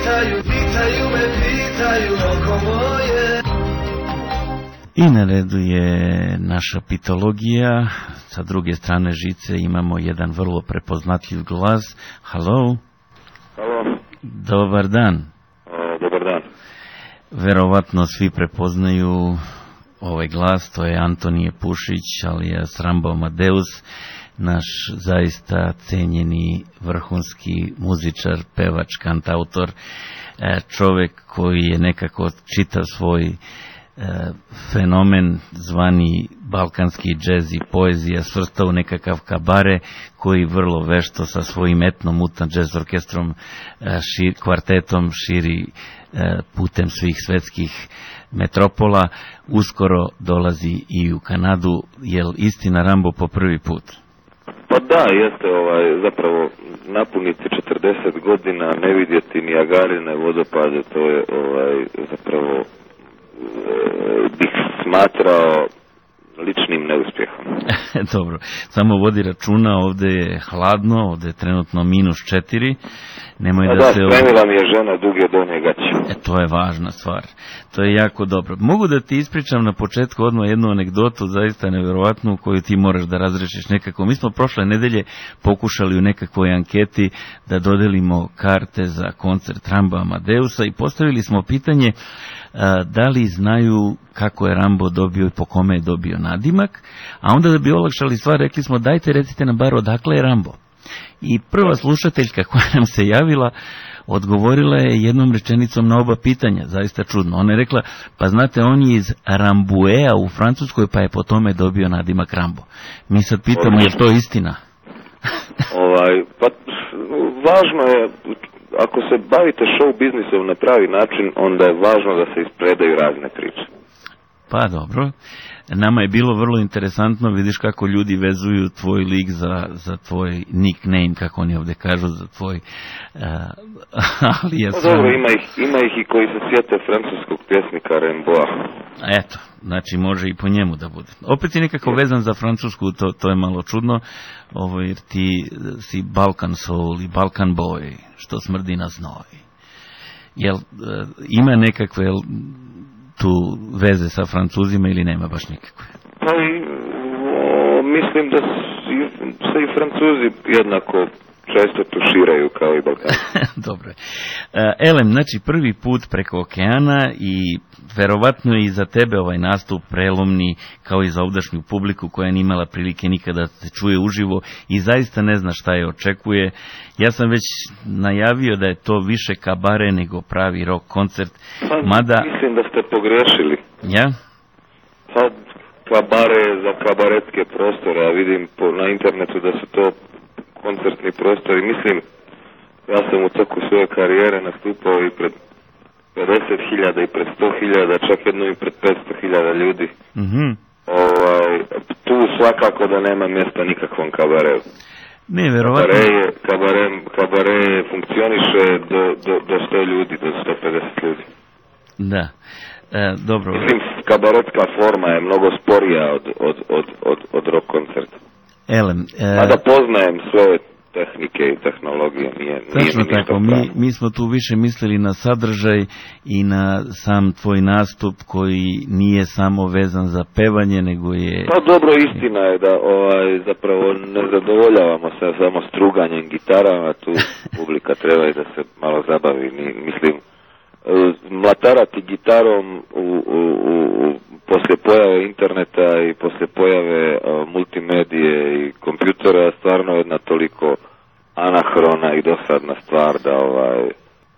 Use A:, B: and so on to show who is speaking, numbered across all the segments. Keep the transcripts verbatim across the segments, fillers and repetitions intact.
A: pitaju, pitaju me, pitaju oko moje.
B: I na redu je naša pitologija. Sa druge strane žice imamo jedan vrlo prepoznatljiv glas. Halo.
C: Halo.
B: Dobar dan.
C: O, dobar dan.
B: Verovatno svi prepoznaju ovaj glas, to je Antonije Pušić, alias Rambo Amadeus, naš zaista cenjeni vrhunski muzičar, pevač, kantautor, čovjek koji je nekako čitav svoj fenomen zvani balkanski džez i poezija svrstao u nekakav kabare koji vrlo vešto sa svojim etnom mutan džez orkestrom, šir, kvartetom širi putem svih svetskih metropola. Uskoro dolazi i u Kanadu. Jel istina, Rambo, po prvi put?
C: Pa da, jeste, ovaj, zapravo napuniti četrdeset godina, ne vidjeti ni Niagarine vodopade, to je ovaj, zapravo bih smatrao ličnim neuspjehom.
B: Dobro, samo vodi računa, ovdje je hladno, ovdje je trenutno minus četiri. Nemoj da,
C: da
B: se...
C: spremila mi je žena duge donje gaće.
B: E, to je važna stvar. To je jako dobro. Mogu da ti ispričam na početku odmah jednu anegdotu, zaista nevjerovatnu, koju ti moraš da razrešiš nekako. Mi smo prošle nedelje pokušali u nekakvoj anketi da dodelimo karte za koncert Rambo Amadeusa i postavili smo pitanje a, da li znaju kako je Rambo dobio i po kome je dobio nadimak, a onda da bi olakšali stvar rekli smo dajte recite nam bar odakle je Rambo. I prva slušateljka koja nam se javila odgovorila je jednom rečenicom na oba pitanja, zaista čudno. Ona je rekla, pa znate, on je iz Rambouillet u Francuskoj, pa je po tome dobio nadimak Rambo. Mi sad pitamo, je to istina?
C: ovaj, pa važno je, ako se bavite show biznisom na pravi način, onda je važno da se ispredaju razne priče.
B: Pa dobro. Nama je bilo vrlo interesantno, vidiš kako ljudi vezuju tvoj lik za, za tvoj nickname, kako oni ovdje kažu, za tvoj uh, alias.
C: No, dobro, ima ih, ima ih i koji se sjete francuskog pjesnika Rimbaua.
B: Eto, znači može i po njemu da bude. Opet je nekako vezan za Francusku, to, to je malo čudno, ovo, jer ti si Balkan soul i Balkan boy, što smrdi na znoj. Jel uh, ima nekakve... Jel, tu veze sa Francuzima ili nema baš nikakve?
C: Pa i, o, mislim da se i Francuzi jednako često tuširaju kao i Balkan.
B: Dobro. Elem, znači prvi put preko okeana i verovatno je i za tebe ovaj nastup prelomni kao i za ovdašnju publiku koja nije imala prilike nikada da se čuje uživo i zaista ne zna šta je očekuje. Ja sam već najavio da je to više kabare nego pravi rock koncert.
C: Pa,
B: mada...
C: mislim da ste pogrešili.
B: Ja?
C: Pa kabare za kabaretske prostore, a vidim po, na internetu da su to koncertni prostori. Mislim, ja sam u toku svoje karijere nastupao i pred pedeset hiljada i pred sto hiljada, čak jedno i pred petsto hiljada ljudi.
B: Mm-hmm.
C: Ovaj, tu svakako da nema mjesta nikakvom kabareu.
B: Ne, verovatno.
C: Kabare, je, kabare, kabare funkcioniše do, do, do sto ljudi, do sto pedeset ljudi.
B: Da. E, dobro.
C: Mislim, kabaretska forma je mnogo sporija od, od, od, od, od rock koncerta.
B: Elem, e...
C: Mada poznajem sve tehnike i tehnologije, nije,
B: Tačno
C: nije
B: tako, mi, mi smo tu više mislili na sadržaj i na sam tvoj nastup koji nije samo vezan za pevanje, nego je...
C: Pa dobro, istina je da ovaj, zapravo ne zadovoljavamo se samo struganjem gitarama, tu publika treba i da se malo zabavi, mislim, mlatarati gitarom u, u, u, u poslije pojave interneta i poslije pojave uh, multimedije i kompjutera stvarno jedna toliko anahrona i dosadna stvar da ovaj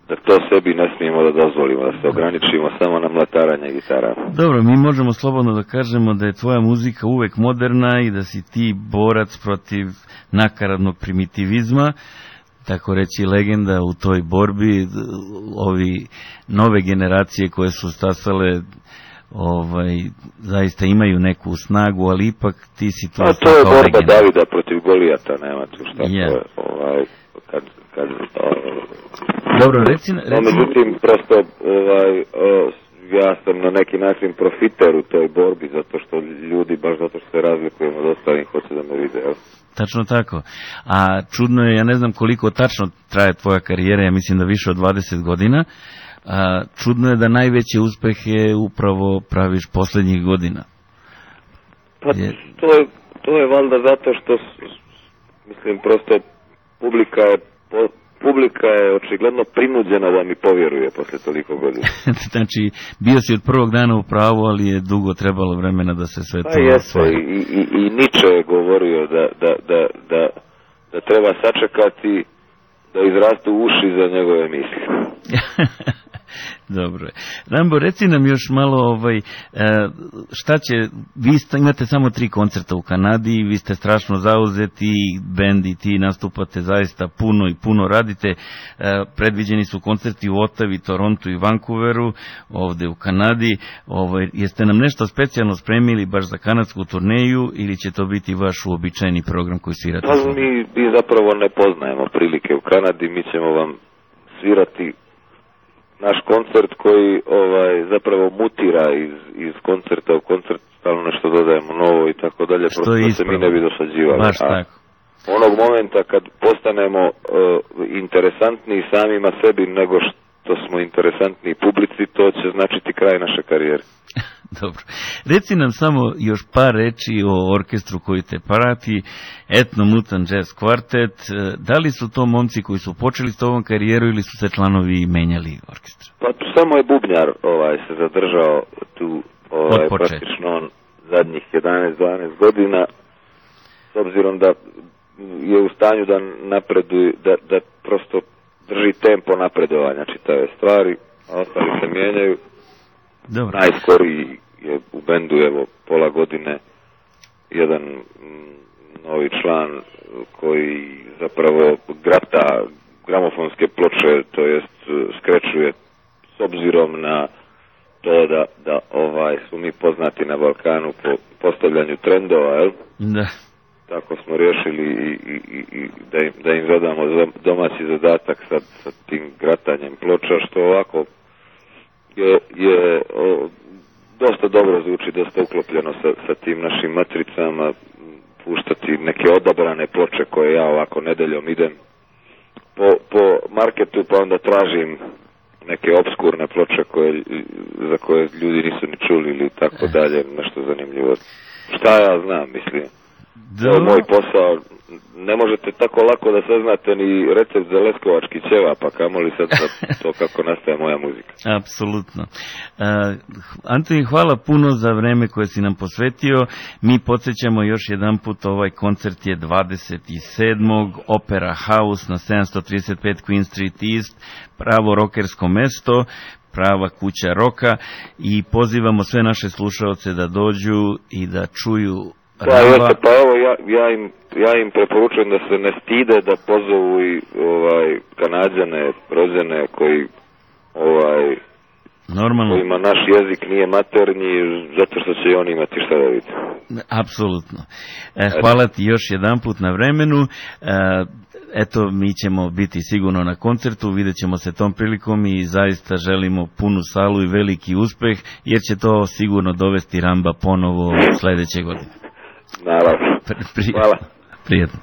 C: da to sebi ne smijemo da dozvolimo, da se ograničimo samo na mlataranje gitara.
B: Dobro, mi možemo slobodno da kažemo da je tvoja muzika uvek moderna i da si ti borac protiv nakaradnog primitivizma, tako reći legenda u toj borbi. Ovi nove generacije koje su stasale ovaj, zaista imaju neku snagu, ali ipak ti si tu...
C: A to je borba legenda. Davida protiv Golijata, nema tu šta yeah. To je, ovaj, kad, kad, ovaj,
B: dobro, reci... reci...
C: No, međutim, prosto, ovaj, o, ja sam na neki način profiter u toj borbi, zato što ljudi, baš zato što se razlikujemo od ostalih, hoće da me vide, jel?
B: Tačno tako. A čudno je, ja ne znam koliko tačno traje tvoja karijera, ja mislim da više od dvadeset godina, a čudno je da najveće uspehe upravo praviš posljednjih godina.
C: Pa to je, to je valjda zato što, mislim, prosto publika je, publika je očigledno prinuđena da mi povjeruje posle toliko godina.
B: Znači, bio si od prvog dana u pravu, ali je dugo trebalo vremena da se sve to
C: osvoji. I, i, i Nietzsche je govorio da, da, da, da, da treba sačekati da izrastu uši za njegove misli.
B: Dobro je. Rambo, reci nam još malo, ovaj, šta će, vi sta, imate samo tri koncerta u Kanadi, vi ste strašno zauzeti, bend i ti nastupate zaista puno i puno radite, predviđeni su koncerti u Ottavi, Torontu i Vancouveru, ovde u Kanadi, ovaj, jeste nam nešto specijalno spremili baš za kanadsku turneju ili će to biti vaš uobičajeni program koji svirate?
C: Pa mi, mi zapravo ne poznajemo prilike u Kanadi, mi ćemo vam svirati naš koncert koji ovaj zapravo mutira iz, iz koncerta u koncert, stalno nešto dodajemo novo i tako dalje, prosto da se mi ne bi dosađivali.
B: Baš tako.
C: Onog momenta kad postanemo uh, interesantniji samima sebi nego što smo interesantniji publici, to će značiti kraj naše karijere.
B: Dobro. Reci nam samo još par reči o orkestru koji te prati, Etno Mutant Jazz Quartet. Da li su to momci koji su počeli s ovom karijeru ili su se članovi menjali orkestra?
C: Pa tu samo je bubnjar ovaj, se zadržao tu ovaj, praktično on zadnjih jedanaest dvanaest godina, s obzirom da je u stanju da napreduje, da, da prosto drži tempo napredovanja čitave stvari, a ostali se mijenjaju.
B: Dobro.
C: Najskoriji je u bendu, evo, pola godine jedan m, novi član koji zapravo grata gramofonske ploče, to jest skrečuje s obzirom na to da, da ovaj, su mi poznati na Balkanu po postavljanju trendova, jel?
B: Da.
C: Tako smo riješili i, i, i da, im, da im zadamo domaći zadatak sa, sa tim gratanjem ploča, što ovako je, je o, dosta dobro zvuči, dosta uklopljeno sa, sa tim našim matricama, puštati neke odabrane ploče koje ja ovako nedeljom idem po, po marketu, pa onda tražim neke obskurne ploče koje, za koje ljudi nisu ni čuli ili tako dalje, nešto zanimljivo. Šta ja znam, mislim. To je moj posao. Ne možete tako lako da saznate ni recept za leskovački ćevap, pa kamoli sad to kako nastaje moja muzika.
B: Apsolutno. Uh, Antoni, hvala puno za vreme koje si nam posvetio. Mi podsjećamo još jedan put, ovaj koncert je dvadeset sedmog Opera House na sedamsto trideset pet Queen Street East, pravo rokersko mesto, prava kuća roka, i pozivamo sve naše slušaoce da dođu i da čuju.
C: Pa, jeste, pa evo, ja, ja, im, ja im preporučujem da se ne stide, da pozovu i ovaj, Kanađane, rođene koji, ovaj,
B: normalno,
C: kojima naš jezik nije maternji, zato što će i oni imati šta da vidite.
B: Apsolutno. E, hvala ti još jedan put na vremenu. E, eto, mi ćemo biti sigurno na koncertu, vidjet ćemo se tom prilikom i zaista želimo punu salu i veliki uspeh, jer će to sigurno dovesti Ramba ponovo sledeće godine.
C: Naravno.
B: Prijetno.
C: Hvala.
B: Prijetno.